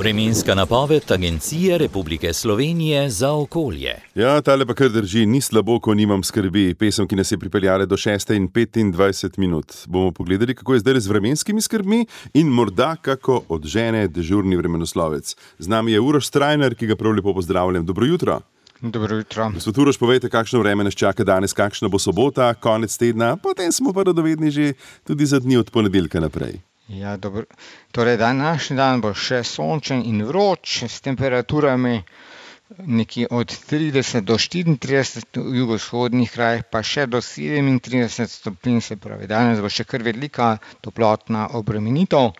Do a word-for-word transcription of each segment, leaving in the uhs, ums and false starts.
Vremenska napoved Agencije Republike Slovenije za okolje. Ja, tale pa kar drži, ni slabo, ko nimam skrbi. Pesem, ki nas je pripeljala do šeste in petindvajset minut. Bomo pogledali, kako je zdaj z vremenskimi skrbmi in morda kako odžene dežurni vremenoslovec. Z nami je Uroš Strajnar, ki ga prav lepo pozdravljam. Dobro jutro. Dobro jutro. Gospod Uroš, povejte, kakšno vreme nas čaka danes, kakšna bo sobota, konec tedna, potem smo pa radovedni že tudi za dni od ponedeljka naprej. Ja, dobro. Torej, današnji dan bo še sončen in vroč, s temperaturami nekje od trideset do štiriintrideset, v jugovzhodnih krajih pa še do sedemintrideset stopinj, se pravi, danes bo še kar velika toplotna obremenitev.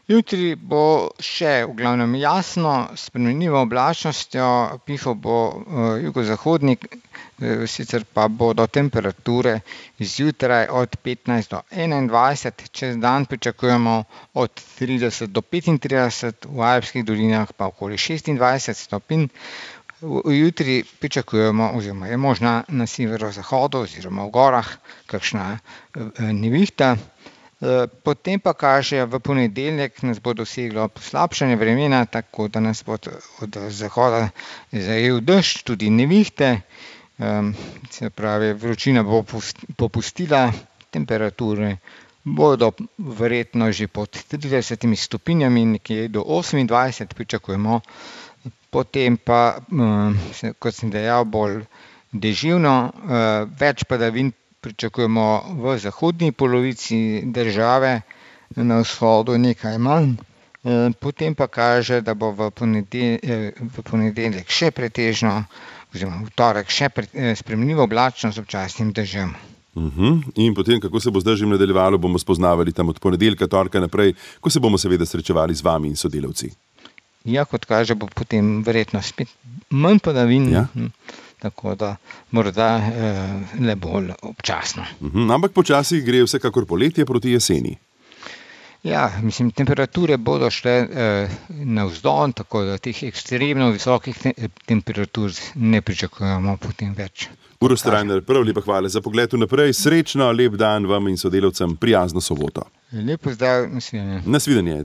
Jutri bo še v glavnem jasno, s spremenljivo oblačnostjo, pihal bo uh, jugozahodnik, uh, sicer pa bodo temperature zjutraj od petnajst do enaindvajset, čez dan pričakujemo od trideset do petintrideset, v alpskih dolinah pa okoli šestindvajset stopinj. Jutri pričakujemo, oziroma je možna na severozahodu oziroma v gorah kakšna uh, nevihta. Potem pa kaže, v ponedeljek nas bo doseglo poslabšanje vremena, tako da nas bo od zahoda zajel dež, tudi nevihte, se pravi, vročina bo popustila, temperature bodo verjetno že pod tridesetimi stopinjami, nekje do osemindvajset pričakujemo, potem pa, kot sem dejal, bolj deževno, več padavin pričakujemo v zahodni polovici države, na vzhodu nekaj manj, potem pa kaže, da bo v ponedeljek, v ponedeljek še pretežno, oziroma v torek še spremenljivo oblačno z občasnim dežjem. Uh-huh. In potem, kako se bo z dežjem nadaljevalo, bomo spoznavali tam od ponedeljka, torka naprej, ko se bomo seveda srečevali z vami in sodelavci. Ja, kot kaže, bo potem verjetno spet manj padavin. Ja. Tako da morda eh, le bolj občasno. Uhum, ampak počasi gre vsekakor poletje proti jeseni. Ja, mislim, temperature bodo šle eh, navzdol, tako da teh ekstremno visokih te- temperatur ne pričakujemo potem več. Uroš Strajnar, prav lepa hvala za pogled vnaprej. Srečno, lep dan vam in sodelavcem, prijazno soboto. Lep pozdrav, nasvidenje. Nasvidenje.